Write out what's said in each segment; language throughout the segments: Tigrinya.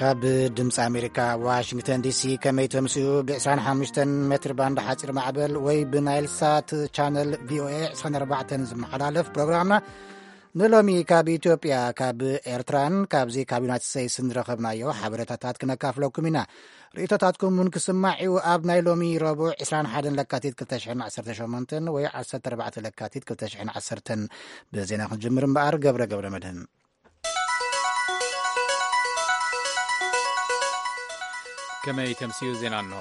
ካብ ድምፂ ኣሜሪካ ዋሽንግተን ዲሲ፣ ከመይ ተምስኡ? ብ ዕስራን ሓሙሽተን ሜትር ባንድ ሓፂር ማዕበል ወይ ብናይል ሳት ቻነል ቪኦኤ ዕስራን ኣርባዕተን ዝመሓላለፍ ፕሮግራምና ንሎሚ ካብ ኢትዮጵያ፣ ካብ ኤርትራን ካብዚ ካብ ዩናይትድ ስቴትስን ዝረኸብናዮ ሓበሬታታት ክነካፍለኩም ኢና። ርእይቶታትኩም እውን ክስማዕ እዩ። ኣብ ናይ ሎሚ ረቡዕ ዕስራን ሓደን ለካቲት ክልተ ሽሕን ዓሰርተ ሸሞንተን ወይ ዓሰርተ ኣርባዕተ ለካቲት ክልተ ሽሕን ዓሰርተን ብዜና ክንጅምር እምበኣር፣ ገብረ ገብረ መድህን። ከመይ ተምስዩ ዜና እንሆ።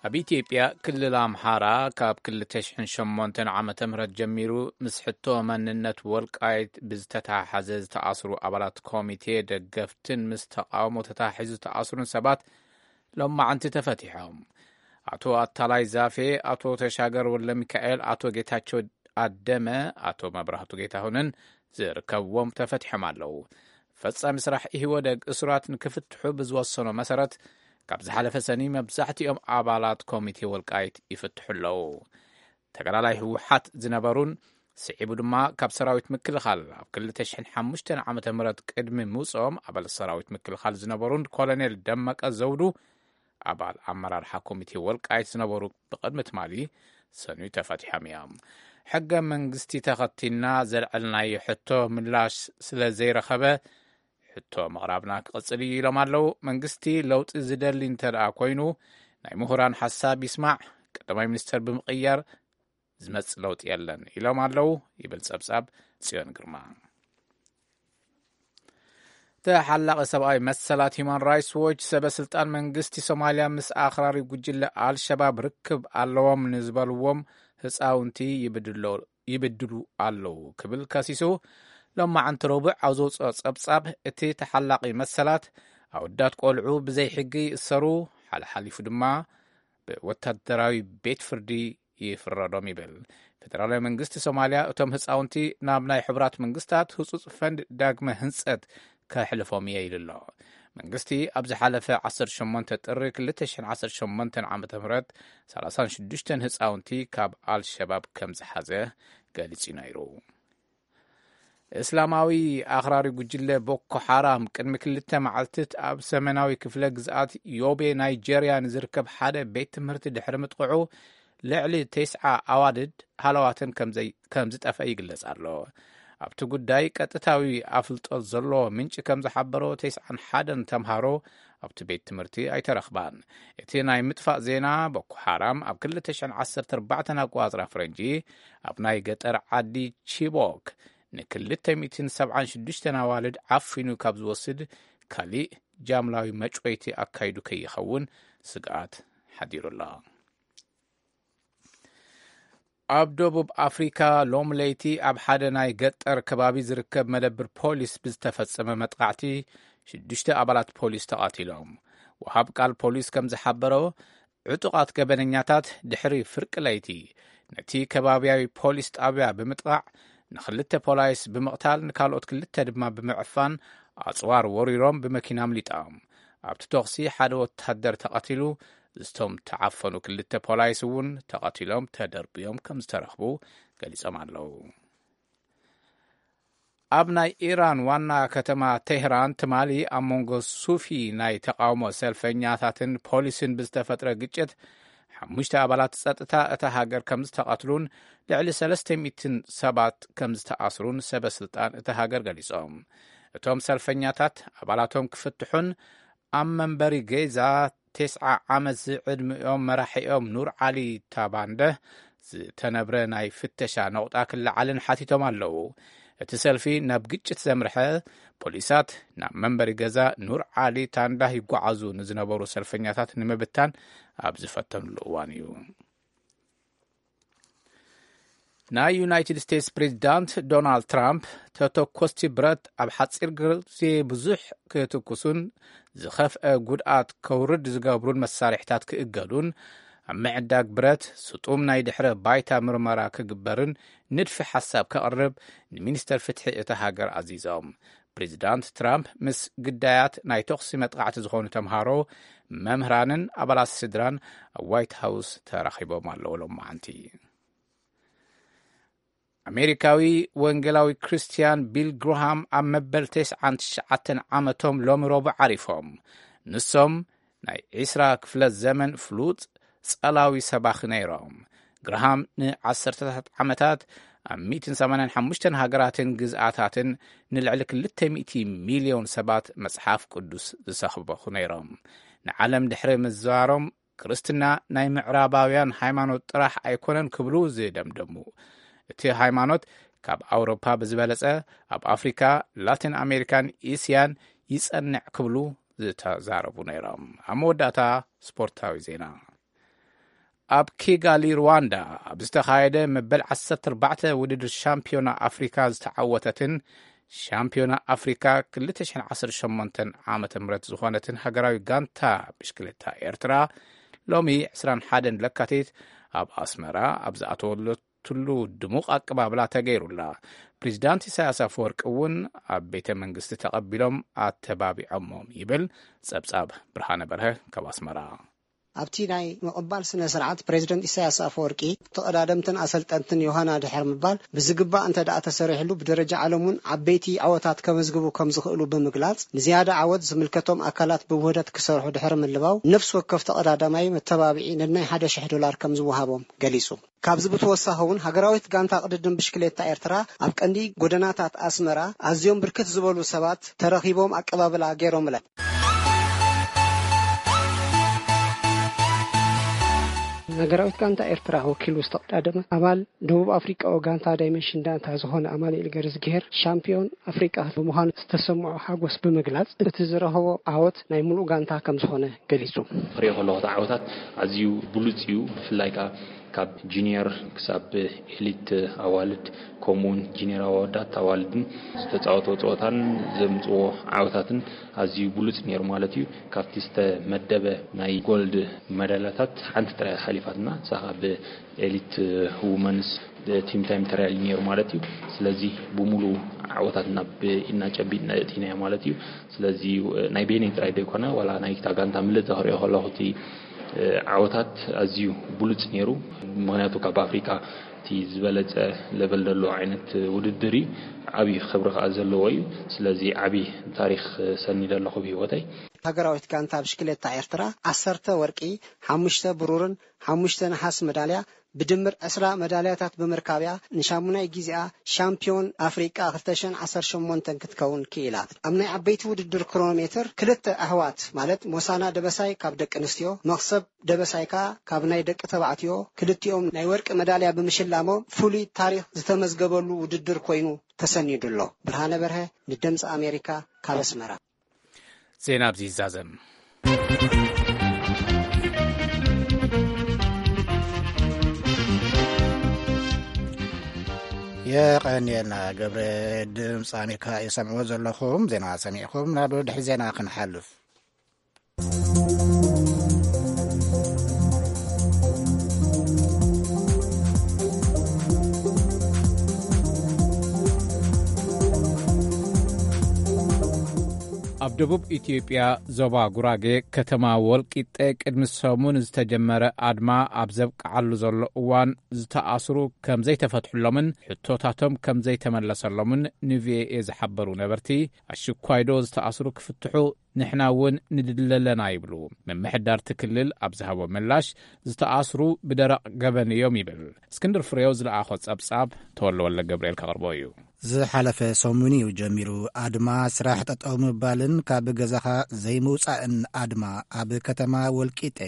ኣብ ኢትዮጵያ ክልል ኣምሓራ ካብ ክልተ ሽሕን ሸሞንተን ዓመተ ምህረት ጀሚሩ ምስ ሕቶ መንነት ወልቃይት ብዝተተሓሓዘ ዝተኣስሩ ኣባላት ኮሚቴ ደገፍትን ምስ ተቃውሞ ተተሓሒዙ ዝተኣስሩን ሰባት ሎማዕንቲ ተፈቲሖም። ኣቶ ኣታላይ ዛፌ፣ ኣቶ ተሻገር ወልደሚካኤል፣ ኣቶ ጌታቸው ኣደመ፣ ኣቶ መብራህቱ ጌታሁንን ዝርከብዎም ተፈቲሖም ኣለዉ። ፈጻሚ ስራሕ ኢህወደግ እሱራት ንክፍትሑ ብዝወሰኖ መሰረት፣ ካብ ዝሓለፈ ሰኒ መብዛሕትኦም ኣባላት ኮሚቴ ወልቃይት ይፍትሑ ኣለዉ። ተጋዳላይ ህወሓት ዝነበሩን ስዒቡ ድማ ካብ ሰራዊት ምክልኻል ኣብ ክልተ ሽሕን ሓሙሽተን ዓመተ ምህረት ቅድሚ ምውፅኦም ኣባል ሰራዊት ምክልኻል ዝነበሩን ኮሎኔል ደመቀ ዘውዱ ኣባል ኣመራርሓ ኮሚቴ ወልቃይት ዝነበሩ ብቕድሚ ትማሊ ሰኑይ ተፈቲሖም እዮም። ሕገ መንግስቲ ተኸቲልና ዘልዐልናዮ ሕቶ ምላሽ ስለ ዘይረኸበ ሕቶ ምቕራብና ክቕጽል እዩ ኢሎም ኣለዉ። መንግስቲ ለውጢ ዝደሊ እንተ ደኣ ኮይኑ ናይ ምሁራን ሓሳብ ይስማዕ፣ ቀዳማይ ሚኒስተር ብምቕያር ዝመጽእ ለውጢ የለን ኢሎም ኣለዉ ይብል ጸብጻብ ጽዮን ግርማ። ተሓላቒ ሰብኣዊ መሰላት ሂማን ራይትስ ዎች፣ ሰበ ስልጣን መንግስቲ ሶማልያ ምስ ኣኽራሪ ጉጅለ ኣልሸባብ ርክብ ኣለዎም ንዝበልዎም ህፃውንቲ ይብድሎ-፣ ይብድሉ ኣለዉ ክብል ከሲሱ። ሎማዕንቲ ረቡዕ ኣብ ዘውፅኦ ጸብጻብ፣ እቲ ተሓላቒ መሰላት ኣወዳት ቆልዑ ብዘይ ሕጊ ይእሰሩ፣ ሓለሓሊፉ ድማ ብወታደራዊ ቤት ፍርዲ ይፍረዶም ይብል። ፌደራላዊ መንግስቲ ሶማልያ እቶም ህፃውንቲ ናብ ናይ ሕቡራት መንግስታት ህጹጽ ፈንድ ዳግመ ህንጸት ከሕልፎም እየ ኢሉ ኣሎ። መንግስቲ ኣብ ዝሓለፈ ዓሰርተ ሸሞንተ ጥሪ ክልተ ሽሕን ዓሰርተ ሸሞንተን ዓመተ ምህረት ሰላሳን ሽዱሽተን ህፃውንቲ ካብ ኣልሸባብ ከም ዝሓዘ ገሊጹ ነይሩ። እስላማዊ ኣኽራሪ ጉጅለ ቦኮ ሓራም ቅድሚ ክልተ መዓልትት ኣብ ሰሜናዊ ክፍለ ግዝኣት ዮቤ ናይጄርያ ንዝርከብ ሓደ ቤት ትምህርቲ ድሕሪ ምጥቕዑ፣ ልዕሊ ተስዓ ኣዋልድ ሃለዋተን ከም ዘይ-፣ ከም ዝጠፍአ ይግለጽ ኣሎ። ኣብቲ ጉዳይ ቀጥታዊ ኣፍልጦ ዘለዎ ምንጪ ከም ዝሓበሮ፣ ተስዓን ሓደን ተምሃሮ ኣብቲ ቤት ትምህርቲ ኣይተረኽባን። እቲ ናይ ምጥፋእ ዜና፣ ቦኮ ሓራም ኣብ ክልተ ሽሕን ዓሰርተ ኣርባዕተን ኣቆጻጽራ ፈረንጂ ኣብ ናይ ገጠር ዓዲ ቺቦክ ንክልተ ሚእትን ሰብዓን ሽዱሽተን ኣዋልድ ዓፊኑ ካብ ዝወስድ ካሊእ ጃምላዊ መጭወይቲ ኣካይዱ ከይኸውን ስግኣት ሓዲሩ ኣሎ። ኣብ ደቡብ ኣፍሪካ ሎም ለይቲ ኣብ ሓደ ናይ ገጠር ከባቢ ዝርከብ መደብር ፖሊስ ብዝተፈጸመ መጥቓዕቲ ሽዱሽተ ኣባላት ፖሊስ ተቓቲሎም። ወሃብ ቃል ፖሊስ ከም ዝሓበሮ፣ ዕጡቓት ገበነኛታት ድሕሪ ፍርቂ ለይቲ ነቲ ከባብያዊ ፖሊስ ጣብያ ብምጥቓዕ፣ ንኽልተ ፖላይስ ብምቕታል፣ ንካልኦት ክልተ ድማ ብምዕፋን፣ ኣጽዋር ወሪሮም ብመኪና ኣምሊጦም። ኣብቲ ተኹሲ ሓደ ወታደር ተቐቲሉ፣ እቶም ተዓፈኑ ክልተ ፖላይስ እውን ተቐቲሎም ተደርብዮም ከም ዝተረኽቡ ገሊጾም ኣለዉ። ኣብ ናይ ኢራን ዋና ከተማ ቴህራን ትማሊ ኣብ መንጎ ሱፊ ናይ ተቃውሞ ሰልፈኛታትን ፖሊስን ብዝተፈጥረ ግጭት ሓሙሽተ ኣባላት ጸጥታ እታ ሃገር ከም ዝተቐትሉን ልዕሊ ሰለስተ ሚእትን ሰባት ከም ዝተኣስሩን ሰበ ስልጣን እታ ሃገር ገሊጾም። እቶም ሰልፈኛታት ኣባላቶም ክፍትሑን ኣብ መንበሪ ገዛ ተስዓ ዓመት ዝዕድሚኦም መራሒኦም ኑር ዓሊ ታባንደ ዝተነብረ ናይ ፍተሻ ነቑጣ ክለዓልን ሓቲቶም ኣለዉ። እቲ ሰልፊ ናብ ግጭት ዘምርሐ፣ ፖሊሳት ናብ መንበሪ ገዛ ኑር ዓሊ ታንዳህ ይጓዓዙ ንዝነበሩ ሰልፈኛታት ንምብታን ኣብ ዝፈተኑሉ እዋን እዩ። ናይ ዩናይትድ ስቴትስ ፕሬዚዳንት ዶናልድ ትራምፕ፣ ተተኮስቲ ብረት ኣብ ሓፂር ግዜ ብዙሕ ክትኩሱን ዝኸፍአ ጉድኣት ከውርድ ዝገብሩን መሳርሕታት ክእገዱን፣ ኣብ ምዕዳግ ብረት ስጡም ናይ ድሕረ ባይታ ምርመራ ክግበርን ንድፊ ሓሳብ ከቕርብ ንሚኒስተር ፍትሒ እታ ሃገር ኣዚዞም። ፕሬዚዳንት ትራምፕ ምስ ግዳያት ናይ ተኹሲ መጥቃዕቲ ዝኾኑ ተምሃሮ፣ መምህራንን ኣባላት ስድራን ኣብ ዋይት ሃውስ ተራኺቦም ኣለዉ ሎማዓንቲ። ኣሜሪካዊ ወንጌላዊ ክርስትያን ቢል ግርሃም ኣብ መበል ተስዓን ትሽዓተን ዓመቶም ሎሚ ረቡዕ ዓሪፎም። ንሶም ናይ ዒስራ ክፍለ ዘመን ፍሉጥ ጸላዊ ሰባኺ ነይሮም። ግርሃም ንዓሰርተታት ዓመታት ኣብ ሚእትን ሰማንያን ሓሙሽተን ሃገራትን ግዝኣታትን ንልዕሊ ክልተ ሚእቲ ሚልዮን ሰባት መጽሓፍ ቅዱስ ዝሰብኹ ነይሮም። ንዓለም ድሕሪ ምዝዋሮም፣ ክርስትና ናይ ምዕራባውያን ሃይማኖት ጥራሕ ኣይኮነን ክብሉ ዝደምደሙ። እቲ ሃይማኖት ካብ ኣውሮፓ ብዝበለጸ ኣብ ኣፍሪካ፣ ላቲን ኣሜሪካን እስያን ይጸንዕ ክብሉ ዝተዛረቡ ነይሮም። ኣብ መወዳእታ ስፖርታዊ ዜና። ኣብ ኪጋሊ ሩዋንዳ ኣብ ዝተኻየደ መበል ዓሰርተ ኣርባዕተ ውድድር ሻምፒዮና ኣፍሪካ ዝተዓወተትን ሻምፒዮና ኣፍሪካ ክልተ ሽሕን ዓሰርተ ሸሞንተን ዓመተ ምህረት ዝኾነትን ሃገራዊ ጋንታ ብሽክሌታ ኤርትራ፣ ሎሚ ዕስራን ሓደን ለካቲት ኣብ ኣስመራ ኣብ ዝኣተወለትሉ ድሙቕ ኣቀባብላ ተገይሩላ። ፕሬዚዳንት ኢሳያስ ኣፈወርቂ እውን ኣብ ቤተ መንግስቲ ተቐቢሎም ኣተባቢዖሞም ይብል ጸብጻብ ብርሃነ በርሀ ካብ ኣስመራ። ኣብቲ ናይ ምቕባል ስነ ስርዓት፣ ፕሬዚደንት ኢሳያስ ኣፈወርቂ፣ ተቐዳደምትን ኣሰልጠንትን ዮሃና ድሕር ምባል ብዝግባእ እንተ ደኣ ተሰሪሕሉ፣ ብደረጃ ዓለም እውን ዓበይቲ ዓወታት ከመዝግቡ ከም ዝኽእሉ ብምግላጽ፣ ንዝያዳ ዓወት ዝምልከቶም ኣካላት ብውህደት ክሰርሑ ድሕሪ ምልባው፣ ነፍሲ ወከፍ ተቐዳዳማይ መተባብዒ ነናይ ሓደ ሽሕ ዶላር ከም ዝወሃቦም ገሊጹ። ካብዚ ብተወሳኺ እውን፣ ሃገራዊት ጋንታ ቅድድም ብሽክሌታ ኤርትራ ኣብ ቀንዲ ጎደናታት ኣስመራ ኣዝዮም ብርክት ዝበሉ ሰባት ተረኺቦም ኣቀባብላ ገይሮምለን። ሃገራዊት ጋንታ ኤርትራ ወኪሉ ዝተቐዳደመ ኣባል ደቡብ ኣፍሪቃዊ ጋንታ ዳይመንሽን ዳንታ ዝኾነ ኣማኑኤል ገረዝግሄር፣ ሻምፒዮን ኣፍሪቃ ብምዃኑ ዝተሰምዖ ሓጎስ ብምግላጽ፣ እቲ ዝረኸቦ ዓወት ናይ ምሉእ ጋንታ ከም ዝኾነ ገሊጹ። ክሪኦ ከለኹ እቲ ዓወታት ኣዝዩ ብሉጽ እዩ። ብፍላይ ከኣ ካብ ጁኒየር ክሳብ ኤሊት ኣዋልድ፣ ከምኡውን ጁኒየር ኣወዳት ኣዋልድን ዝተጻወትዎ ጸወታን ዘምጽዎ ዓወታትን ኣዝዩ ብሉጽ ነይሩ ማለት እዩ። ካብቲ ዝተመደበ ናይ ጎልድ መዳልያታት ሓንቲ ጥራይ ሓሊፋትና፣ እሳ ካብ ኤሊት ውመንስ ቲም ታይም ትራያል ነይሩ ማለት እዩ። ስለዚ ብሙሉ ዓወታት ናብ ኢድና ጨቢጥና እቲናዮ ማለት እዩ። ስለዚ ናይ ቤኒን ጥራይ ዘይኮነ፣ ዋላ ናይ እታ ጋንታ ምልእቲ ክሪኦ ከለኹ፣ እቲ ዓወታት ኣዝዩ ብሉጽ ነይሩ። ምኽንያቱ ካብ ኣፍሪቃ እቲ ዝበለጸ ለቨል ዘለዎ ዓይነት ውድድር እዩ። ዓብዪ ክብሪ ከኣ ዘለዎ እዩ። ስለዚ ዓብዪ ታሪኽ ሰኒደ ኣለኹ ብህይወተይ። ሃገራዊት ጋንታ ብሽክሌታ ኤርትራ ዓሰርተ ወርቂ፣ ሓሙሽተ ብሩርን ሓሙሽተ ነሓስ መዳልያ፣ ብድምር ዕስራ መዳልያታት ብምርካብያ ንሻሙናይ ግዜኣ ሻምፒዮን ኣፍሪቃ ክልተ ሽሕን ዓሰርተ ሸሞንተን ክትከውን ክኢላ። ኣብ ናይ ዓበይቲ ውድድር ክሮኖሜትር ክልተ ኣሕዋት ማለት ሞሳና ደበሳይ ካብ ደቂ ኣንስትዮ፣ መኽሰብ ደበሳይ ከኣ ካብ ናይ ደቂ ተባዕትዮ፣ ክልቲኦም ናይ ወርቂ መዳልያ ብምሽላሞም ፍሉይ ታሪኽ ዝተመዝገበሉ ውድድር ኮይኑ ተሰኒዱ ኣሎ። ብርሃነ በርሀ ንድምፂ ኣሜሪካ ካብ ኣስመራ። ዜና ኣብዚ ይዛዘም። የቐንየልና ገብረ። ድምፂ ኣሜሪካ የሰምዕዎ ዘለኹም። ዜና ሰሚዕኹም ናብ ድሕሪ ዜና ክንሓልፍ። ኣብ ደቡብ ኢትዮጵያ ዞባ ጉራጌ ከተማ ወልቂጤ ቅድሚ ሰሙን ዝተጀመረ ኣድማ ኣብ ዘብቅዓሉ ዘሎ እዋን ዝተኣስሩ ከም ዘይተፈትሑሎምን ሕቶታቶም ከም ዘይተመለሰሎምን ንቪኦኤ ዝሓበሩ ነበርቲ፣ ኣሽኳይዶ ዝተኣስሩ ክፍትሑ ንሕና እውን ንድለለና ይብሉ። ምምሕዳር እቲ ክልል ኣብ ዝሃቦ ምላሽ፣ ዝተኣስሩ ብደረቕ ገበን እዮም ይብል። እስክንድር ፍሬው ዝለኣኾ ጸብጻብ ተወልደ ወልደ ገብርኤል ከቕርቦ እዩ። ዝሓለፈ ሰሙን እዩ ጀሚሩ። ኣድማ ስራሕ ጠጠው ምባልን ካብ ገዛኻ ዘይምውጻእን ኣድማ ኣብ ከተማ ወልቂጤ።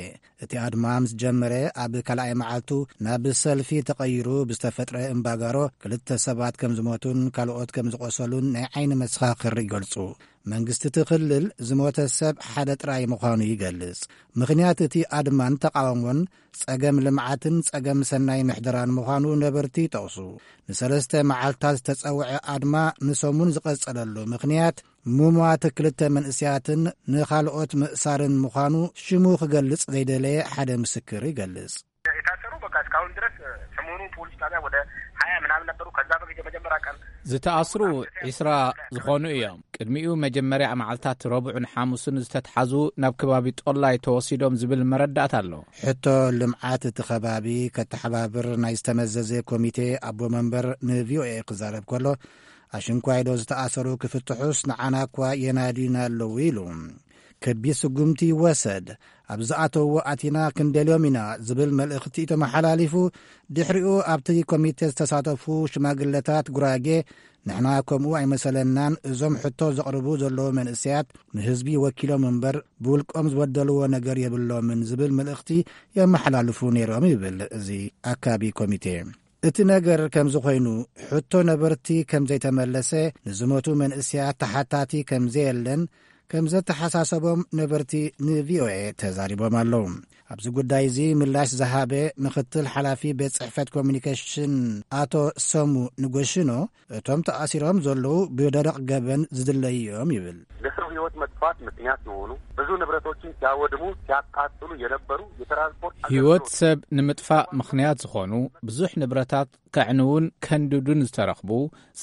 እቲ ኣድማ ምስ ጀመረ ኣብ ካልኣይ መዓልቱ ናብ ሰልፊ ተቐይሩ ብዝተፈጥረ እምባጋሮ ክልተ ሰባት ከም ዝሞቱን ካልኦት ከም ዝቖሰሉን ናይ ዓይኒ መሰኻኽር ይገልጹ። መንግስቲ እቲ ክልል ዝሞተ ሰብ ሓደ ጥራይ ምዃኑ ይገልጽ። ምኽንያት እቲ ኣድማን ተቓውሞን ጸገም ልምዓትን ጸገም ሰናይ ምሕደራን ምዃኑ ነበርቲ ይጠቕሱ። ንሰለስተ መዓልታት ዝተጸውዐ ኣድማ ንሰሙን ዝቐጸለሉ ምኽንያት ምሟት ክልተ መንእሰያትን ንኻልኦት ምእሳርን ምዃኑ ሽሙ ክገልጽ ዘይደለየ ሓደ ምስክር ይገልጽ። የታሰሩ በቃ እስካሁን ድረስ ሰሞኑን ፖሊስ ጣቢያ ወደ ሀያ ምናምን ነበሩ። ከዛ በፊት የመጀመሪያ ቀን ዝተኣስሩ ዒስራ ዝኾኑ እዮም። ቅድሚኡ መጀመርያ መዓልታት ረቡዕን ሓሙስን ዝተትሓዙ ናብ ከባቢ ጦላይ ተወሲዶም ዝብል መረዳእታ ኣሎ። ሕቶ ልምዓት እቲ ከባቢ ከተሓባብር ናይ ዝተመዘዘ ኮሚቴ ኣቦ መንበር ንቪኦኤ ክዛረብ ከሎ፣ ኣሽንኳይዶ ዝተኣሰሩ ክፍትሑስ ንዓና እኳ የናድዩና ኣለዉ ኢሉ። ከቢድ ስጉምቲ ይወሰድ፣ ኣብ ዝኣተውዎ ኣቲና ክንደልዮም ኢና ዝብል መልእኽቲ ተመሓላሊፉ፣ ድሕሪኡ ኣብቲ ኮሚቴ ዝተሳተፉ ሽማግለታት ጉራጌ፣ ንሕና ከምኡ ኣይመሰለናን፣ እዞም ሕቶ ዘቕርቡ ዘለዉ መንእሰያት ንህዝቢ ወኪሎም እምበር ብውልቆም ዝበደልዎ ነገር የብሎምን ዝብል መልእኽቲ የመሓላልፉ ነይሮም ይብል እዚ ኣካቢ ኮሚቴ። እቲ ነገር ከምዚ ኮይኑ፣ ሕቶ ነበርቲ ከም ዘይተመለሰ፣ ንዝሞቱ መንእሰያት ተሓታቲ ከም ዘየለን ከም ዘተሓሳሰቦም ነበርቲ ንቪኦኤ ተዛሪቦም ኣለዉ። ኣብዚ ጉዳይ እዚ ምላሽ ዝሃበ ምክትል ሓላፊ ቤት ጽሕፈት ኮሚኒኬሽን ኣቶ ሰሙ ንጎሽኖ፣ እቶም ተኣሲሮም ዘለዉ ብደረቕ ገበን ዝድለዩ እዮም ይብል። ለሰው ሕይወት መጥፋት ምክንያት የሆኑ ብዙ ንብረቶችን ሲያወድሙ፣ ሲያቃጥሉ የነበሩ የትራንስፖርት ህይወት ሰብ ንምጥፋእ ምኽንያት ዝኾኑ ብዙሕ ንብረታት ከዕንውን ከንድዱን ዝተረኽቡ፣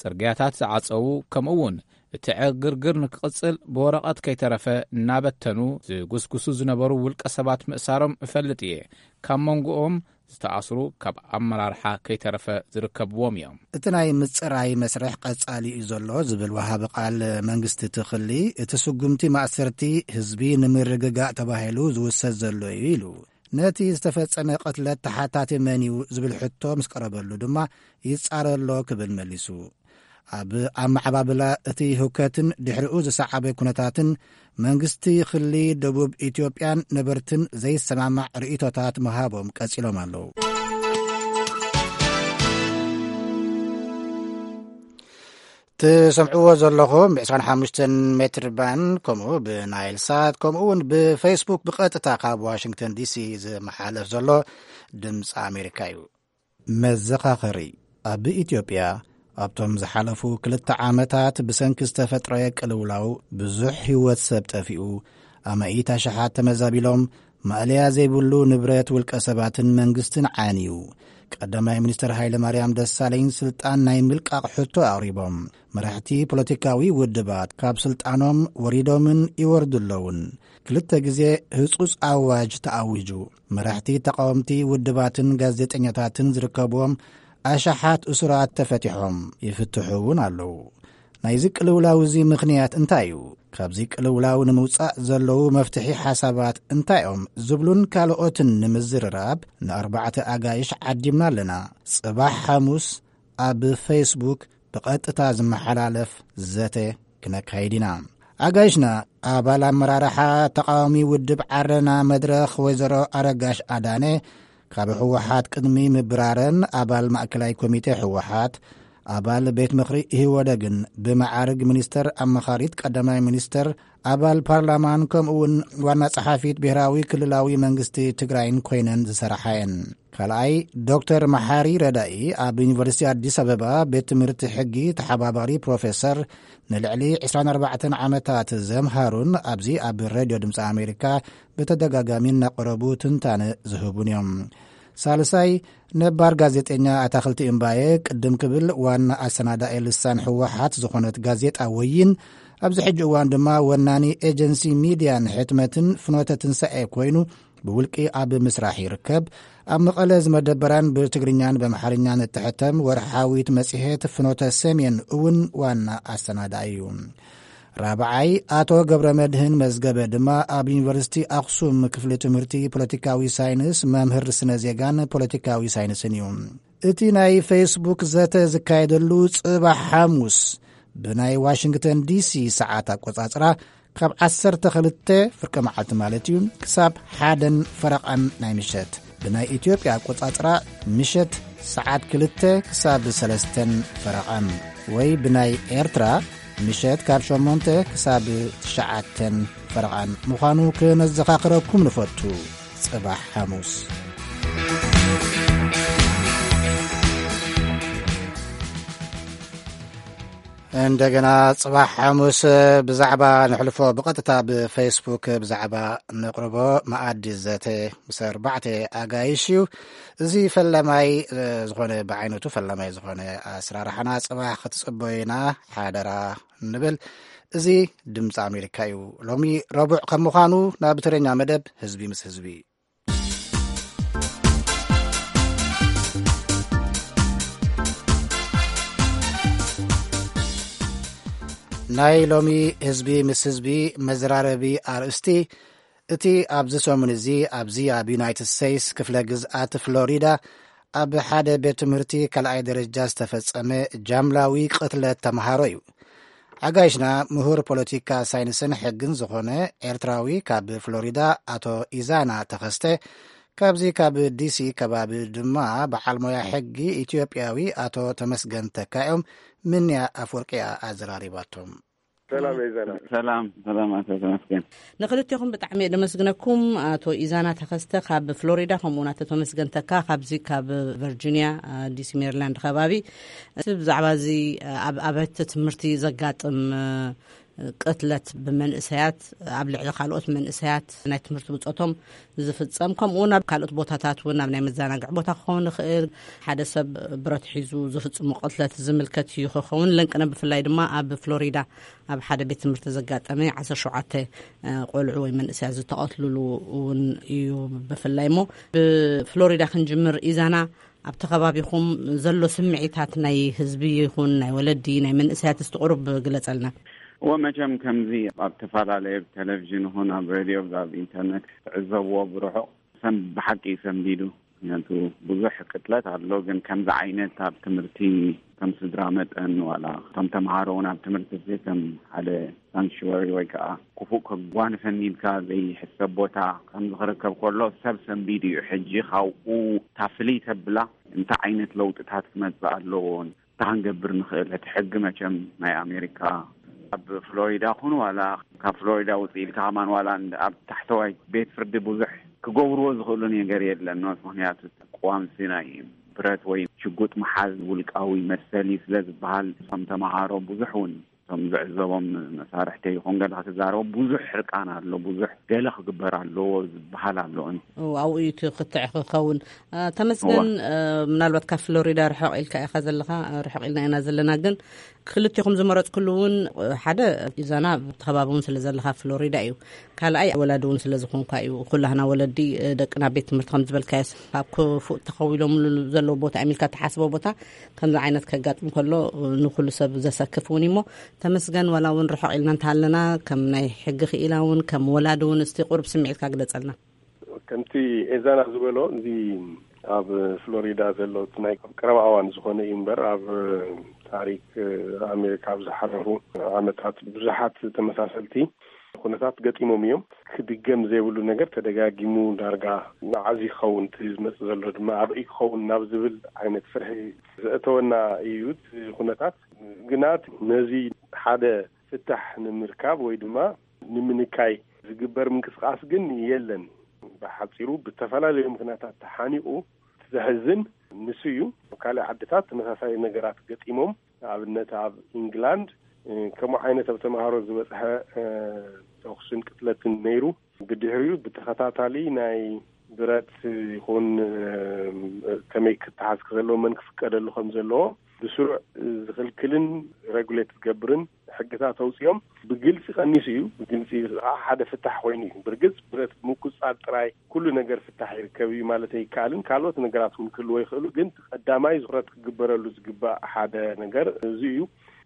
ጽርግያታት ዝዓጸዉ፣ ከምኡ እውን እቲ ዕግርግር ንክቕጽል ብወረቐት ከይተረፈ እናበተኑ ዝጉስጉሱ ዝነበሩ ውልቀ ሰባት ምእሳሮም እፈልጥ እየ። ካብ መንጎኦም ዝተኣስሩ ካብ ኣመራርሓ ከይተረፈ ዝርከብዎም እዮም። እቲ ናይ ምጽራይ መስርሕ ቀጻሊ እዩ ዘሎ ዝብል ወሃቢ ቃል መንግስቲ ትኽሊ፣ እቲ ስጉምቲ ማእሰርቲ ህዝቢ ንምርግጋእ ተባሂሉ ዝውሰድ ዘሎ እዩ ኢሉ። ነቲ ዝተፈጸመ ቅትለት ተሓታቲ መን እዩ ዝብል ሕቶ ምስ ቀረበሉ ድማ ይጻረ ኣሎ ክብል መሊሱ። ኣብ ኣመዓባብላ እቲ ህውከትን ድሕሪኡ ዝሰዓበ ኩነታትን መንግስቲ ክሊ ደቡብ ኢትዮጵያን ነበርትን ዘይሰማማዕ ርእይቶታት ምሃቦም ቀጺሎም ኣለዉ። ትሰምዕዎ ዘለኹም ብ ዕስራን ሓሙሽተን ሜትር ባንድ ከምኡ ብናይል ሳት ከምኡ እውን ብፌስቡክ ብቐጥታ ካብ ዋሽንግተን ዲሲ ዝመሓለፍ ዘሎ ድምፂ ኣሜሪካ እዩ። መዘኻኸሪ። ኣብ ኢትዮጵያ ኣብቶም ዝሓለፉ ክልተ ዓመታት ብሰንኪ ዝተፈጥረ ቅልውላው ብዙሕ ህይወት ሰብ ጠፊኡ፣ ኣማኢት ኣሽሓት ተመዛቢሎም፣ ማእለያ ዘይብሉ ንብረት ውልቀ ሰባትን መንግስትን ዓንዩ። ቀዳማይ ሚኒስትር ሃይለ ማርያም ደሳለኝ ስልጣን ናይ ምልቃቕ ሕቶ ኣቕሪቦም። መራሕቲ ፖለቲካዊ ውድባት ካብ ስልጣኖም ወሪዶምን ይወርዱ ኣለውን። ክልተ ግዜ ህጹጽ ኣዋጅ ተኣዊጁ። መራሕቲ ተቃወምቲ ውድባትን ጋዜጠኛታትን ዝርከብዎም ኣሽሓት እሱራት ተፈቲሖም፣ ይፍትሑ እውን ኣለዉ። ናይዚ ቅልውላው እዚ ምኽንያት እንታይ እዩ? ካብዚ ቅልውላው ንምውጻእ ዘለዉ መፍትሒ ሓሳባት እንታይ እዮም? ዝብሉን ካልኦትን ንምዝርራብ ንኣርባዕተ ኣጋይሽ ዓዲምና ኣለና። ጽባሕ ሓሙስ ኣብ ፌስቡክ ብቐጥታ ዝመሓላለፍ ዘተ ክነካይድ ኢና። ኣጋይሽና፣ ኣባል ኣመራርሓ ተቃዋሚ ውድብ ዓረና መድረኽ ወይዘሮ ኣረጋሽ ኣዳነ፣ ካብ ህወሓት ቅድሚ ምብራረን ኣባል ማእከላይ ኮሚቴ ህወሓት፣ ኣባል ቤት ምኽሪ ኢህወደግን ብመዓርግ ሚኒስተር ኣማኻሪት ቀዳማይ ሚኒስተር፣ ኣባል ፓርላማን ከምኡ እውን ዋና ጸሓፊት ብሔራዊ ክልላዊ መንግስቲ ትግራይን ኮይነን ዝሰራሓ እየን። ካልኣይ፣ ዶክተር መሓሪ ረዳኢ ኣብ ዩኒቨርሲቲ ኣዲስ ኣበባ ቤት ትምህርቲ ሕጊ ተሓባባሪ ፕሮፌሰር፣ ንልዕሊ ዕስራን ኣርባዕተን ዓመታት ዘምሃሩን ኣብዚ ኣብ ሬድዮ ድምፂ ኣሜሪካ ብተደጋጋሚ እናቐረቡ ትንታነ ዝህቡን እዮም። ሳልሳይ፣ ነባር ጋዜጠኛ ኣታኽልቲ እምባየ፣ ቅድም ክብል ዋና ኣሰናዳኢ ልሳን ህወሓት ዝኾነት ጋዜጣ ወይን፣ ኣብዚ ሕጂ እዋን ድማ ወናኒ ኤጀንሲ ሚድያን ሕትመትን ፍኖተ ትንሳኤ ኮይኑ ብውልቂ ኣብ ምስራሕ ይርከብ። ኣብ መቐለ ዝመደበራን ብትግርኛን ብኣምሓርኛን እትሕተም ወርሓዊት መጽሔት ፍኖተ ሰሜን እውን ዋና ኣሰናዳኢ እዩ። ራብዓይ፣ ኣቶ ገብረ መድህን መዝገበ ድማ ኣብ ዩኒቨርሲቲ ኣኽሱም ክፍሊ ትምህርቲ ፖለቲካዊ ሳይንስ መምህር ስነ ዜጋን ፖለቲካዊ ሳይንስን እዩ። እቲ ናይ ፌስቡክ ዘተ ዝካየደሉ ጽባሕ ሓሙስ ብናይ ዋሽንግተን ዲሲ ሰዓት ኣቆጻጽራ ካብ ዓሰርተ ክልተ ፍርቂ መዓልቲ ማለት እዩ ክሳብ ሓደን ፈረቓን ናይ ምሸት፣ ብናይ ኢትዮጵያ ኣቆጻጽራ ምሸት ሰዓት ክልተ ክሳብ ሰለስተን ፈረቓን፣ ወይ ብናይ ኤርትራ ምሸት ካብ ሸሞንተ ክሳብ ትሽዓተን ፈረቓን ምዃኑ ክነዘኻኽረኩም ንፈቱ። ጽባሕ ሓሙስ። እንደገና ጽባሕ ሓሙስ ብዛዕባ ንሕልፎ ብቐጥታ ብፌስቡክ ብዛዕባ ንቕርቦ መኣዲ ዘተ ምስ ኣርባዕተ ኣጋይሽ እዩ። እዚ ፈላማይ፣ እ፣ ዝኾነ ብዓይነቱ ፈላማይ ዝኾነ ኣስራርሓና ጽባሕ ክትጽበዩና ሓደራ ንብል። እዚ ድምፂ ኣሜሪካ እዩ። ሎሚ ረቡዕ ከም ምዃኑ ናብ ትግርኛ መደብ ህዝቢ ምስ ህዝቢ። ናይ ሎሚ ህዝቢ ምስ ህዝቢ መዘራረቢ ኣርእስቲ፣ እቲ ኣብዚ ሰሙን እዚ ኣብዚ ኣብ ዩናይትድ ስቴትስ ክፍለ ግዝኣት ፍሎሪዳ ኣብ ሓደ ቤት ትምህርቲ ካልኣይ ደረጃ ዝተፈጸመ ጃምላዊ ቅትለት ተምሃሮ እዩ። ኣጋይሽና ምሁር ፖለቲካ ሳይንስን ሕግን ዝኾነ ኤርትራዊ ካብ ፍሎሪዳ ኣቶ ኢዛና ተኸስተ፣ ካብዚ ካብ ዲሲ ከባቢ ድማ በዓል ሞያ ሕጊ ኢትዮጵያዊ ኣቶ ተመስገን ተካ እዮም። ምንያ ኣፍወርቂ እያ ኣዘራሪባቶም። ሰላም ኢዛና። ሰላም፣ ሰላም ኣቶ ተመስገን። ንክልቴኹም ብጣዕሚ እየ ደመስግነኩም። ኣቶ ኢዛና ተኸስተ ካብ ፍሎሪዳ፣ ከምኡውን ኣቶ ተመስገን ተካ ካብዚ ካብ ቨርጂኒያ፣ ዲሲ ሜሪላንድ ከባቢ። እቲ ብዛዕባ እዚ ኣብ ኣብያተ ትምህርቲ ዘጋጥም ቅትለት ብመንእሰያት፣ ኣብ ልዕሊ ካልኦት መንእሰያት ናይ ትምህርቲ ብጾቶም ዝፍጸም፣ ከምኡ እውን ኣብ ካልኦት ቦታታት እውን ኣብ ናይ መዘናግዒ ቦታ ክኸውን ይኽእል፣ ሓደ ሰብ ብረት ሒዙ ዝፍጽሙ ቅትለት ዝምልከት እዩ ክኸውን። ለንቅነ ብፍላይ ድማ ኣብ ፍሎሪዳ ኣብ ሓደ ቤት ትምህርቲ ዘጋጠመ ዓሰርተ ሸውዓተ ቆልዑ ወይ መንእሰያት ዝተቐትልሉ እውን እዩ ብፍላይ። እሞ ብፍሎሪዳ ክንጅምር ኢዛና፣ ኣብቲ ከባቢኹም ዘሎ ስምዒታት ናይ ህዝቢ ይኹን ናይ ወለዲ ናይ መንእሰያት እስቲ ቁሩብ ግለጸልና። እወ፣ መቸም ከምዚ ኣብ ተፈላለየ ቴሌቪዥን ይኹን ኣብ ሬድዮ ኣብ ኢንተርኔት ትዕዘብዎ ብርሑቕ ሰም-፣ ብሓቂ ሰንቢዱ። ምክንያቱ ብዙሕ ቅትለት ኣሎ፣ ግን ከምዚ ዓይነት ኣብ ትምህርቲ ከም ስድራ መጠን ዋላ እቶም ተምሃሮ እውን ኣብ ትምህርቲ እዚ ከም ሓደ ሳንክቹዋሪ ወይ ከዓ ክፉእ ከጓንፈኒ ኢልካ ዘይሕሰብ ቦታ ከም ዝኽርከብ ከሎ ሰብ ሰንቢዱ እዩ። ሕጂ ካብኡ እታ ፍልይ ተብላ እንታይ ዓይነት ለውጥታት ክመጽእ ኣለዎ? እንታይ ክንገብር ንኽእል? እቲ ሕጊ መቸም ናይ ኣሜሪካ ኣብ ፍሎሪዳ ኩን ዋላ ካብ ፍሎሪዳ ውፅእ ኢልካ ከማን ዋላ እንደ-፣ ኣብ ታሕተዋይ ቤት ፍርዲ ብዙሕ ክገብርዎ ዝኽእሉ ነገር የለን። ምክንያቱ ቅዋምሲ ናይ ብረት ወይ ሽጉጥ መሓዝ ውልቃዊ መሰሊ ስለ ዝበሃል፣ እቶም ተምሃሮ ብዙሕ እውን እቶም ዝዕዘቦም መሳርሕቲ ይኹን ገለ ክትዛረቦ ብዙሕ ሕርቃን ኣሎ፣ ብዙሕ ገለ ክግበር ኣለዎ ዝበሃል ኣሎ። እው፣ ኣብኡ እዩ እቲ ክትዕ ክኸውን። አ፣ ተመስገን፣ እዋ። አ፣ ምናልባት ካብ ፍሎሪዳ ርሕቕ ኢልካ ኢኻ ዘለኻ፣ ርሕቕ ኢልና ኢና ዘለና፣ ግን ክልቴኹም ዝመረጽኩሉ እውን፣ ሓደ ኢዛና ኣብቲ ከባቢ እውን ስለ ዘለኻ ፍሎሪዳ እዩ። ካልኣይ ወላዲ እውን ስለ ዝኾንኳ እዩ። ኩላህና ወለዲ፣ እ፣ ደቅና ቤት ትምህርቲ ከም ዝበልካዮ ኣብ ክፉእ ተኸዊሎምሉ ዘለዉ ቦታ እዮም ኢልካ እትሓስቦ ቦታ ከምዚ ዓይነት ከጋጥም ከሎ፣ እ፣ ንኩሉ ሰብ ዘሰክፍ እውን እዩ። እሞ ተመስገን፣ ዋላ እውን ርሑቕ ኢልና እንተሃለና፣ ከም ናይ ሕጊ ክኢላ እውን ከም ወላዲ እውን እስቲ ቁሩብ ስምዒትካ ግለጸልና። ከምቲ ኤዛና ዝበሎ፣ እዚ ኣብ ፍሎሪዳ ዘሎ እቲ ናይ ቀረባ እዋን ዝኾነ እዩ እምበር፣ ኣብ ታሪክ ኣሜሪካ ኣብ ዝሓለፉ ዓመታት ብዙሓት ተመሳሰልቲ ኩነታት ገጢሞም እዮም። ክድገም ዘይብሉ ነገር ተደጋጊሙ፣ ዳርጋ መዓዝ ይኸውን እቲ ዝመጽእ ዘሎ ድማ ኣበይ ክኸውን ናብ ዝብል ዓይነት ፍርሒ ዘእተወና እዩ እቲ ኩነታት። ግና ነዚ ሓደ ፍታሕ ንምርካብ ወይ ድማ ንምንካይ ዝግበር ምንቅስቃስ ግን የለን። ብሓጺሩ ብተፈላለዩ ምኽንያታት ተሓኒቑ፣ እቲ ዘሕዝን ንሱ እዩ። ኣብ ካልእ ዓድታት ተመሳሳሊ ነገራት ገጢሞም፣ ንኣብነት ኣብ ኢንግላንድ፣ እ፣ ከምኡ ዓይነት ኣብ ተምሃሮ ዝበጽሐ፣ እ፣ ተኹስን ቅትለትን ነይሩ። ብድሕሪኡ ብተኸታታሊ ናይ ብረት ይኹን፣ እ፣ ከመይ ክተሓዝ ዘለዎ፣ መን ክፍቀደሉ ከም ዘለዎ ብስሩዕ ዝኽልክልን ሬጉሌት ዝገብርን ሕግታት ኣውጺኦም። ብግልጺ ቀኒሱ እዩ። ብግልጺ ሓደ ፍታሕ ኮይኑ እዩ። ብርግጽ ብረት ምቁጽጻር ጥራይ ኩሉ ነገር ፍታሕ ይርከብ እዩ ማለት ኣይከኣልን። ካልኦት ነገራት እውን ክህልዎ ይኽእሉ፣ ግን ቀዳማይ ትኹረት ክግበረሉ ዝግባእ ሓደ ነገር እዚ እዩ።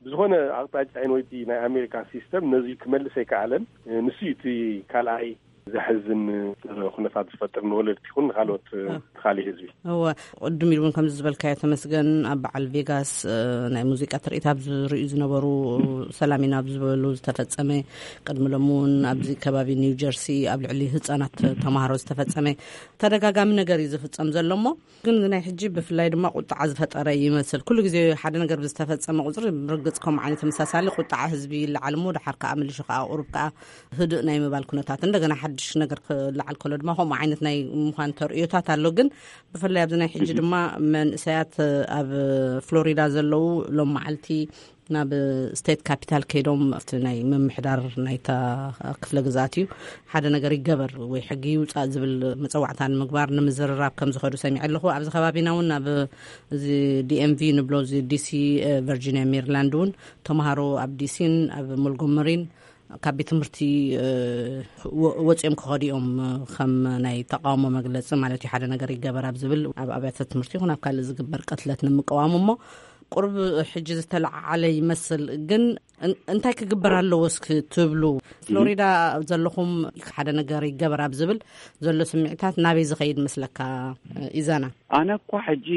ብዝኾነ ኣቕጣጫ ወይቲ ናይ ኣሜሪካ ሲስተም ነዚ ክመልስ ኣይከኣለን። ንሱ እዩ እቲ ካልኣይ ዘሕዝን ኩነታት ዝፈጥር ንወለድቲ ይኹን ንካልኦት ትኻሊ ህዝቢ። እወ፣ ቅድም ኢሉ እውን ከምዚ ዝበልካዮ ተመስገን፣ ኣብ በዓል ቬጋስ፣ እ፣ ናይ ሙዚቃ ትርኢት ኣብ ዝርእዩ ዝነበሩ፣ ሰላም ኢና ኣብ ዝበሉ ዝተፈጸመ፣ ቅድሚ ሎሚ እውን ኣብዚ ከባቢ ኒው ጀርሲ ኣብ ልዕሊ ህጻናት ተማሃሮ ዝተፈጸመ ተደጋጋሚ ነገር እዩ ዝፍጸም ዘሎ። እሞ ግን ናይ ሕጂ ብፍላይ ድማ ቁጥዓ ዝፈጠረ ይመስል። ኩሉ ግዜ ሓደ ነገር ብዝተፈጸመ ቁጽሪ ብርግጽ ከምኡ ዓይነት ተመሳሳሊ ቁጥዓ ህዝቢ ይለዓል እሞ፣ ድሓር ከኣ ምልሹ ከኣ ቁሩብ ከኣ ህዱእ ናይ ምባል ኩነታት እንደገና ሽሽ ነገር ክለዓል ከሎ ድማ ከምኡ ዓይነት ናይ ምዃን ተርእዮታት ኣሎ። ግን ብፍላይ ኣብዚ ናይ ሕጂ ድማ መንእሰያት ኣብ ፍሎሪዳ ዘለዉ ሎም መዓልቲ ናብ ስቴት ካፒታል ከይዶም ኣብቲ ናይ ምምሕዳር ናይታ ክፍለ ግዛት እዩ ሓደ ነገር ይገበር ወይ ሕጊ ይውፃእ ዝብል መፀዋዕታ ንምግባር ንምዝርራብ ከም ዝኸዱ ሰሚዐ ኣለኹ። ኣብዚ ከባቢና እውን ኣብ እዚ ዲኤምቪ ንብሎ እዚ ዲሲ፣ ቨርጂኒያ፣ ሜሪላንድ እውን ተምሃሮ ኣብ ዲሲን ኣብ ሞንጎመሪን ካብ ቤት ትምህርቲ ወፂኦም ክኸዱ እዮም። ከም ናይ ተቃውሞ መግለፂ ማለት እዩ። ሓደ ነገር ይገበር ኣብ ዝብል ኣብ ኣብያተ ትምህርቲ ይኹን ኣብ ካልእ ዝግበር ቅትለት ንምቅዋም እሞ ቁርብ ሕጂ ዝተለዓዓለ ይመስል። ግን እንታይ ክግበር ኣለዎ እስኪ ትብሉ? ፍሎሪዳ ዘለኹም ሓደ ነገር ይገበር ኣብ ዝብል ዘሎ ስምዒታት ናበይ ዝኸይድ መስለካ? ኢዛና፣ ኣነ እኳ ሕጂ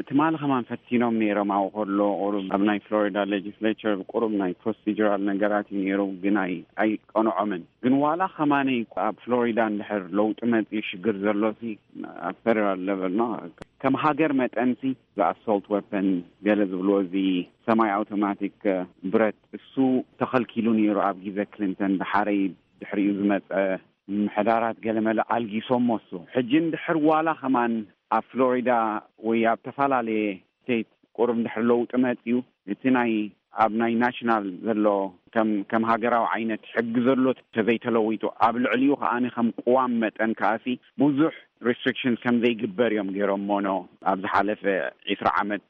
ትማሊ ከማን ፈቲኖም ነይሮም። ኣብኡ ከሎ ቁሩብ ኣብ ናይ ፍሎሪዳ ሌጅስሌቸር ቁሩብ ናይ ፕሮሲጀራል ነገራት እዩ ነይሩ፣ ግን ኣይቀንዖምን። ግን ዋላ ከማነይ ኣብ ፍሎሪዳ እንድሕር ለውጢ መፅኡ ሽግር ዘሎ ሲ ኣብ ፌደራል ለቨል ኖ ከም ሃገር መጠንሲ ብኣሶልት ወፐን ገለ ዝብልዎ እዚ ሰማይ ኣውቶማቲክ ብረት እሱ ተኸልኪሉ ነይሩ ኣብ ግዜ ክሊንተን። ድሓረይ ድሕሪኡ ዝመፀ ምሕዳራት ገለመለ ኣልጊሶሞ እሱ። ሕጂ እንድሕር ዋላ ከማን ኣብ ፍሎሪዳ ወይ ኣብ ተፈላለየ ስቴት ቁሩብ እንድሕር ለውጢ መፅኡ እቲ ናይ ኣብ ናይ ናሽናል ዘሎ ከም ከም ሃገራዊ ዓይነት ሕጊ ዘሎ ተዘይተለዊጡ ኣብ ልዕሊኡ ከዓኒ ከም ቅዋም መጠን ከዓሲ ብዙሕ ሪስትሪክሽንስ ከም ዘይግበር እዮም ገይሮሞ ኖ ኣብ ዝሓለፈ ዒስራ ዓመት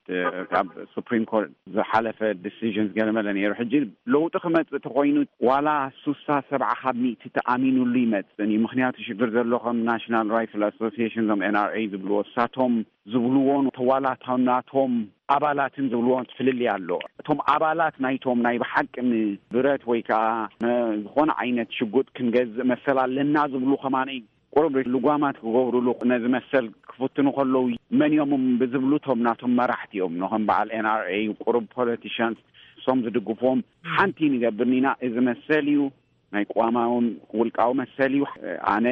ካብ ሱፕሪም ኮርት ዝሓለፈ ዲሲዥንስ ገለመለ ነይሩ። ሕጂ ለውጢ ክመፅእ ተኮይኑ ዋላ ሱሳ ሰብዓ ካብ ሚእቲ ተኣሚኑሉ ይመፅን እዩ። ምክንያቱ ሽግር ዘሎ ከም ናሽናል ራይፍል ኣሶሲሽን ዞም ኤንኣርኤ ዝብልዎ እሳቶም ዝብልዎን ተዋላታናቶም ኣባላትን ዝብልዎን ፍልልይ ኣሎ። እቶም ኣባላት ናይቶም ናይ ብሓቂ ብረት ወይ ከዓ ዝኾነ ዓይነት ሽጉጥ ክንገዝእ መሰል ኣለና ዝብሉ ከማነይ ቁሩብ ልጓማት ክገብሩሉ ነዚ መሰል ክፍትኑ ከለዉ መን እዮም ብዝብሉ እቶም ናቶም መራሕቲ እዮም። ንኸም በዓል ኤንኣርኤ ቁሩብ ፖለቲሽንስ እሶም ዝድግፍዎም ሓንቲ ንገብር ኢና። እዚ መሰል እዩ ናይ ቅዋማውን ውልቃዊ መሰል እዩ። ኣነ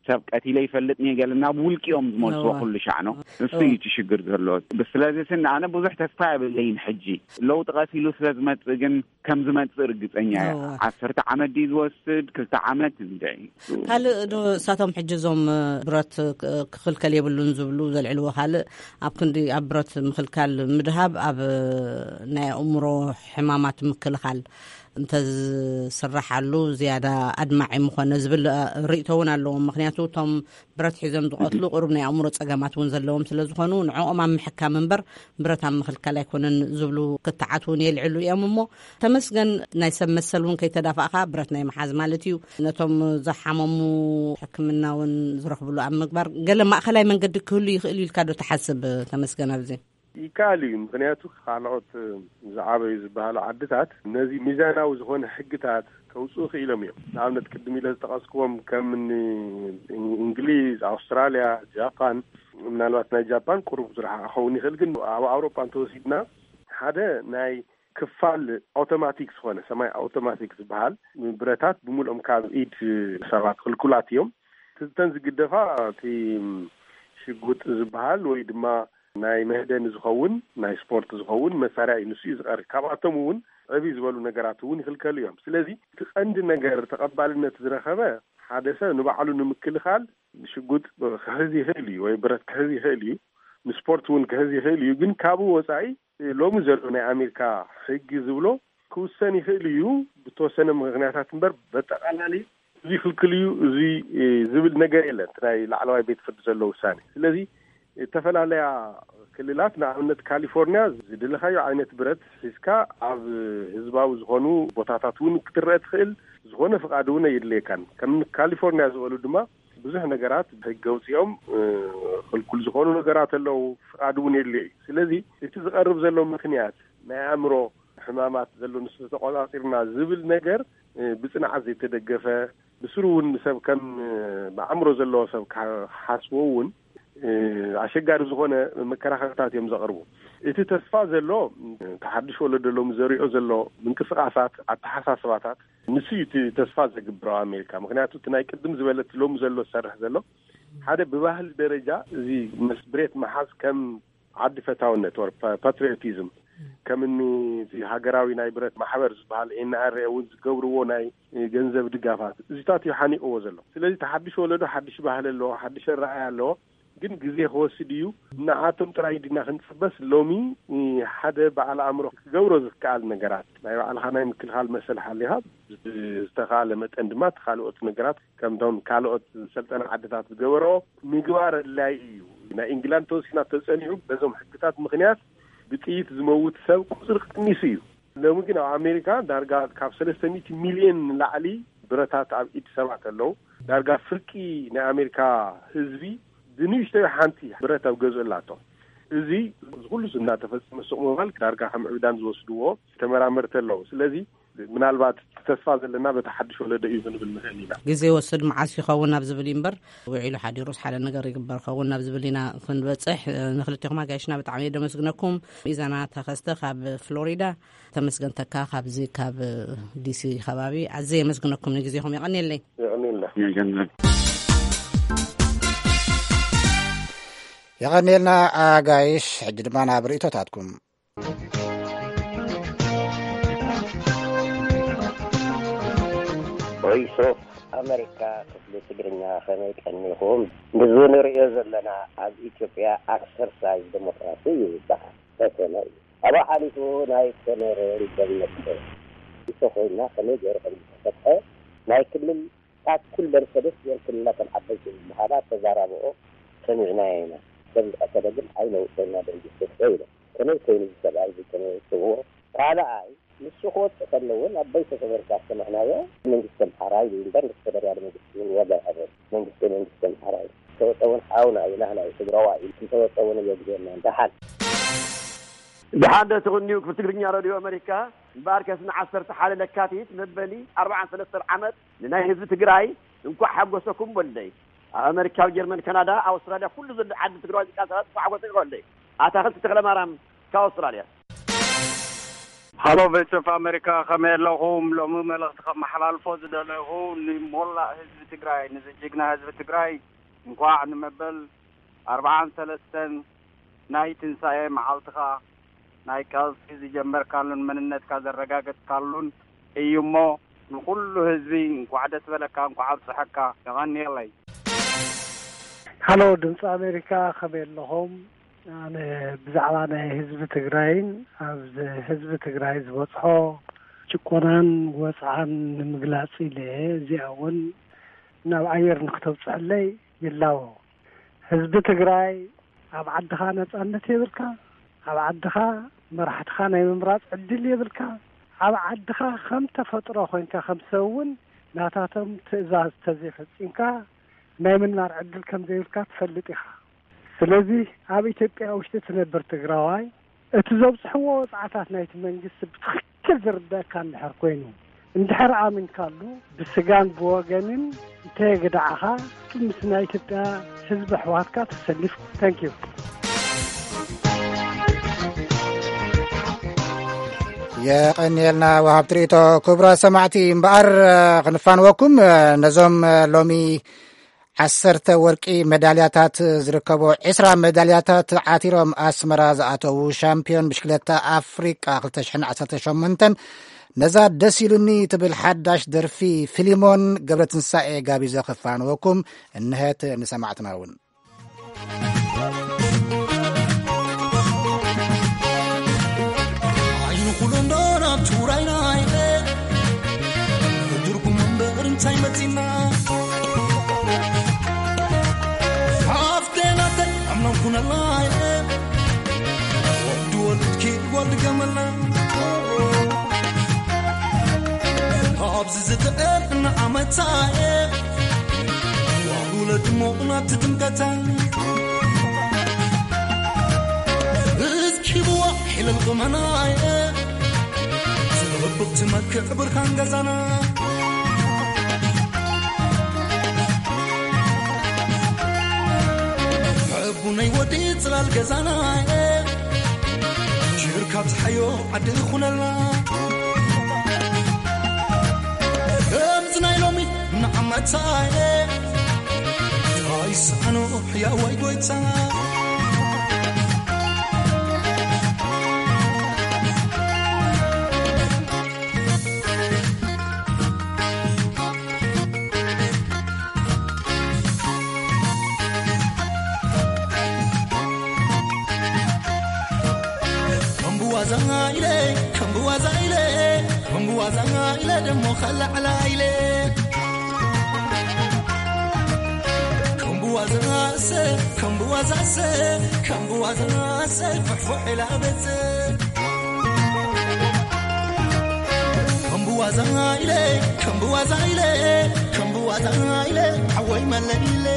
ሰብ ቀቲለ ይፈልጥ እየ ገለ ናብ ውልቂ እዮም ዝመልስዎ ኩሉ ሻዕ ነው። እሱ እዩ እቲ ሽግር ዘሎ። ስለዚ ስን ኣነ ብዙሕ ተስፋ የብለይን። ሕጂ ለውጢ ቀሲሉ ስለ ዝመፅእ ግን ከም ዝመፅእ ርግፀኛ እየ። ዓሰርተ ዓመት ድዩ ዝወስድ ክልተ ዓመት እንደ ካልእ ዶ እሳቶም ሕጂ እዞም ብረት ክኽልከል የብሉን ዝብሉ ዘልዕልዎ ካልእ ኣብ ክንዲ ኣብ ብረት ምኽልካል ምድሃብ ኣብ ናይ ኣእምሮ ሕማማት ምክልኻል እንተዝስራሓሉ ዝያዳ ኣድማዒ ምኾነ ዝብል ርእቶ እውን ኣለዎም። ምክንያቱ እቶም ብረት ሒዞም ዝቐትሉ ቁሩብ ናይ ኣእምሮ ጸገማት እውን ዘለዎም ስለ ዝኾኑ ንዕኦም ኣብ ምሕካም እምበር ብረት ኣብ ምኽልካል ኣይኮነን ዝብሉ ክትዓት እውን የልዕሉ እዮም። እሞ ተመስገን ናይ ሰብ መሰል እውን ከይተዳፋእካ ብረት ናይ መሓዝ ማለት እዩ። ነቶም ዝሓመሙ ሕክምና እውን ዝረኽብሉ ኣብ ምግባር ገለ ማእኸላይ መንገዲ ክህሉ ይኽእል እዩ ኢልካ ዶ ትሓስብ ተመስገን? ኣብዚ ይከኣል እዩ። ምክንያቱ ካልኦት ዝዓበዩ ዝበሃሉ ዓድታት ነዚ ሚዛናዊ ዝኾነ ሕግታት ከውፅኡ ክኢሎም እዮም። ንኣብነት ቅድም ኢለ ዝጠቐስክዎም ከም እንግሊዝ፣ ኣውስትራልያ፣ ጃፓን፣ ምናልባት ናይ ጃፓን ቁሩብ ዝረሓ ክኸውን ይኽእል። ግን ኣብ ኣውሮፓ እንተወሲድና ሓደ ናይ ክፋል ኣውቶማቲክ ዝኾነ ሰማይ ኣውቶማቲክ ዝበሃል ብረታት ብምልኦም ካብ ኢድ ሰባት ክልኩላት እዮም። እተን ዝግደፋ እቲ ሽጉጥ ዝበሃል ወይ ድማ ናይ መህደኒ ዝኸውን ናይ ስፖርት ዝኸውን መሳርያ እዩ። ንሱ እዩ ዝቐሪ። ካብኣቶም እውን ዕብይ ዝበሉ ነገራት እውን ይኽልከሉ እዮም። ስለዚ እቲ ቀንዲ ነገር ተቐባልነት ዝረኸበ ሓደ ሰብ ንባዕሉ ንምክልኻል ሽጉጥ ክሕዝ ይኽእል እዩ ወይ ብረት ክሕዝ ይኽእል እዩ። ንስፖርት እውን ክሕዝ ይኽእል እዩ። ግን ካብኡ ወፃኢ ሎሚ ዘሎ ናይ ኣሜሪካ ሕጊ ዝብሎ ክውሰን ይኽእል እዩ ብተወሰነ ምክንያታት እምበር በጠቓላሊ እዚ ክልክል እዩ፣ እዚ ዝብል ነገር የለን። እቲ ናይ ላዕለዋይ ቤት ፍርዲ ዘሎ ውሳኔ። ስለዚ ዝተፈላለያ ክልላት ንኣብነት ካሊፎርኒያ ዝደለኻዮ ዓይነት ብረት ሒዝካ ኣብ ህዝባዊ ዝኾኑ ቦታታት እውን ክትረአ ትኽእል። ዝኾነ ፍቓድ እውን ኣየድልየካን። ከም ካሊፎርኒያ ዝበሉ ድማ ብዙሕ ነገራት ብሕጊ ኣውፂኦም ክልኩል ዝኾኑ ነገራት ኣለዉ። ፍቓድ እውን የድልዮ እዩ። ስለዚ እቲ ዝቐርብ ዘሎ ምክንያት ናይ ኣእምሮ ሕማማት ዘሎ ንሱ ተቆፃፂርና ዝብል ነገር ብፅንዓት ዘይተደገፈ ብስሩ እውን ሰብ ከም ብኣእምሮ ዘለዎ ሰብ ክሓስቦ እውን ኣሸጋሪ ዝኾነ መከራኸርታት እዮም ዘቕርቡ። እቲ ተስፋ ዘሎ ተሓድሽ ወለዶ ሎሚ ዘሪኦ ዘሎ ምንቅስቃሳት ኣተሓሳስባታት ንሱ እዩ እቲ ተስፋ ዘግብረው ኣሜሪካ። ምክንያቱ እቲ ናይ ቅድም ዝበለ እቲ ሎሚ ዘሎ ዝሰርሕ ዘሎ ሓደ ብባህሊ ደረጃ እዚ መስብሬት መሓዝ ከም ዓዲ ፈታውነት ወር ፓትሪዮቲዝም ከም እኒ እቲ ሃገራዊ ናይ ብረት ማሕበር ዝበሃል ኤን ኣር ኤ እውን ዝገብርዎ ናይ ገንዘብ ድጋፋት፣ እዚታት እዩ ሓኒቕዎ ዘሎ። ስለዚ እቲ ሓድሽ ወለዶ ሓድሽ ባህሊ ኣለዎ፣ ሓድሽ ኣረኣእያ ኣለዎ። ግን ግዜ ክወስድ እዩ። ንኣቶም ጥራይ ዲና ክንጽበስ? ሎሚ ሓደ በዓል ኣእምሮ ክገብሮ ዝከኣል ነገራት፣ ናይ ባዕልኻ ናይ ምክልኻል መሰል ሓሊኻ፣ ዝተኻለ መጠን ድማ እቲ ካልኦት ነገራት ከምቶም ካልኦት ሰልጠና ዓድታት ዝገበረኦ ምግባር ኣድላይ እዩ። ናይ ኢንግላንድ ተወሲና ተጸኒዑ፣ በዞም ሕግታት ምኽንያት ብጥይት ዝመውት ሰብ ቁጽሪ ቀኒሱ እዩ። ሎሚ ግን ኣብ ኣሜሪካ ዳርጋ ካብ ሰለስተ ሚእቲ ሚልዮን ንላዕሊ ብረታት ኣብ ኢድ ሰባት ኣለዉ። ዳርጋ ፍርቂ ናይ ኣሜሪካ ህዝቢ ብንእሽተይ ሓንቲ ብረት ኣብ ገዝኡ ኣላቶ። እዚ ኩሉ እናተፈጸመ ሱቕ ምባል ዳርጋ ከም ዕብዳን ዝወስድዎ ተመራመርቲ ኣለዉ። ስለዚ ምናልባት ተስፋ ዘለና በቲ ሓድሽ ወለዶ እዩ ክንብል ንኽእል ኢና። ግዜ ይወስድ፣ መዓስ ይኸውን ናብ ዝብል እዩ እምበር፣ ውዒሉ ሓዲሩስ ሓደ ነገር ይግበር ኸውን ናብ ዝብል ኢና ክንበጽሕ። ንክልቴኹም ኣጋይሽና ብጣዕሚ እየ ደመስግነኩም። ኢዛና ተኸስተ ካብ ፍሎሪዳ፣ ተመስገን ተካ ካብዚ ካብ ዲሲ ከባቢ፣ ኣዝየ የመስግነኩም ንግዜኹም። የቐንየለይ። የቐንየልና። የቐንየልና ኣጋይሽ። ሕጂ ድማ ናብ ርእይቶታትኩም። ቮይስ ኦፍ ኣሜሪካ ክፍሊ ትግርኛ፣ ከመይ ቀኒኹም? ንዚ ንርእዮ ዘለና ኣብ ኢትዮጵያ ኣክሰርሳይዝ ዴሞክራሲ እዩ ዝበሃል። ፈተነ እዩ። ኣብኡ ሓሊፉ ናይ ኮነረ ይገመት እንተኾይና ከመይ ገይሩ ከም ዝተፈትሐ ናይ ክልል ታኩል መርሰደስ ገይርክን እናተን ዓበይቲ ዝበሃላ ተዛራብኦ ሰሚዕናዮ ኢና። ሰብ ዝቐተለ ግን ኣይነውፀና ደንጊ ስርቶ ኢሎም። ከመይ ኮይኑ እዚ ሰብኣይ እዚ ከመይ ወፅዎ? ካልኣይ ንሱ ክወፅእ ከለውን ኣብ ቤተሰብ ኤርትራ ዝሰማዕናዮ መንግስቲ ኣምሓራ ኢሉ እምበር ንፌደራል መንግስቲ እውን ዋጋ ይሃቦ። መንግስቲ መንግስቲ ኣምሓራ እዩ። እንተወፀ እውን ሓውና እዩ፣ ናህና እዩ፣ ትግራዋ እዩ። እንተወፀ እውን እየግዜና ደሓን። ደሓን ዶ ትቕንዩ ክፍል ትግርኛ ረድዮ ኣመሪካ? እምበኣርከስ ንዓሰርተ ሓደ ለካቲት መበሊ ኣርባዓን ሰለስተን ዓመት ንናይ ህዝቢ ትግራይ እንኳዕ ሓጎሰኩም በሉለይ። ኣብ ኣመሪካ፣ ኣብ ጀርመን፣ ካናዳ፣ ኣውስትራልያ፣ ኩሉ ዘሎ ዓዲ ትግራዋይ ዝቃ ሰባት እንኳዕ ሓጎሰኩም በሉለይ። ኣታኽልቲ ተኽለ ማርያም ካብ ኣውስትራልያ። ሃሎ ቮይስ ኦፍ ኣሜሪካ፣ ከመይ ኣለኹም? ሎሚ መልእኽቲ ከመሓላልፎ ዝደለኹ ንሞላእ ህዝቢ ትግራይ፣ ንዚ ጅግና ህዝቢ ትግራይ እንኳዕ ንመበል ኣርባዓን ሰለስተን ናይ ትንሳኤ መዓልትኻ፣ ናይ ቃልሲ ዝጀመርካሉን መንነትካ ዘረጋገጽካሉን እዩ እሞ፣ ንኹሉ ህዝቢ እንኳዕ ደስ በለካ፣ እንኳዕ ኣብጽሐካ። የቐንየለይ። ሃሎ ድምፂ ኣሜሪካ፣ ከመይ ኣለኹም? ኣነ ብዛዕባ ናይ ህዝቢ ትግራይን ኣብ ህዝቢ ትግራይ ዝበፅሖ ጭቆናን ወፅዓን ንምግላፅ ኢለ፣ እዚኣ እውን ናብ ኣየር ንክተብፅሐለይ ይላቦ። ህዝቢ ትግራይ፣ ኣብ ዓድኻ ነፃነት የብልካ፣ ኣብ ዓድኻ መራሕትኻ ናይ ምምራፅ ዕድል የብልካ፣ ኣብ ዓድኻ ከም ተፈጥሮ ኮይንካ ከም ሰብ እውን ናታቶም ትእዛዝ ተዘይፈፂምካ ናይ ምንባር ዕድል ከም ዘይብልካ ትፈልጥ ኢኻ። ስለዚ ኣብ ኢትዮጵያ ውሽጢ ትነብር ትግራዋይ፣ እቲ ዘብፅሕዎ ወፅዓታት ናይቲ መንግስቲ ብትኽክል ዝርደኣካ እንድሕር ኮይኑ፣ እንድሕር ኣሚንካሉ፣ ብስጋን ብወገንን እንተየግዳዕኻ፣ ምስ ናይ ኢትዮጵያ ህዝቢ ኣሕዋትካ ተሰሊፍ። Thank you። የቐንየልና ወሃብ ትርኢቶ። ክቡራት ሰማዕቲ፣ እምበኣር ክንፋንወኩም፣ ነዞም ሎሚ ዓሰርተ ወርቂ መዳልያታት ዝርከቦ፣ ዕስራ መዳልያታት ዓቲሮም ኣስመራ ዝኣተዉ ሻምፒዮን ብሽክለታ ኣፍሪቃ ክልተ ሽሕን ዓሰርተ ሸሞንተን፣ ነዛ ደስ ኢሉኒ ትብል ሓዳሽ ደርፊ ፊሊሞን ገብረትንሳኤ ጋቢዘ ክፋንወኩም እንሀት ንሰማዕትና እውን። ዓይኑ ኩሉ እንዶ ናብ ትግራይና ኢለ፣ ትርጉም እምበር እንታይ መፂና? ሓፍተይ ናተይ ኣምላኽ ኩነላ ኢለ፣ ወዲ ወልድኪ ጓል ገመላ። ኣብዚ ዝጥዕም ንዓመታ እየ፣ ዋጉለ ድሞቕ ናብቲ ድምቀታ። እስኪ ብዋ ሒለል ቁመና እየ፣ ዝረብቕ ትመክዕ ብርሃን ገዛና። ሕቡነይ ወዲ ጽላል ገዛና እየ፣ ጅርካ ብዝሓዮ ዓዲ ይኹነልና። ከምዚ ናይ ሎሚ ንዓመታ እየ፣ ኣይሰኣኖ ሕያዋይ ጎይታ። ኢለ ከም ብዋዛ ኢለ ከም ብዋዛ ኢለ ደሞ ከላዕላ ኢለ ከም ብዋዛ ሰ ከም ብዋዛ ሰ ከም ብዋዛ ሰ ፍሕፍሕ ኢላ በጽ ከም ብዋዛ ኢለ ከም ብዋዛ ኢለ ከም ብዋዛ ኢለ ሓወይ መለኢለ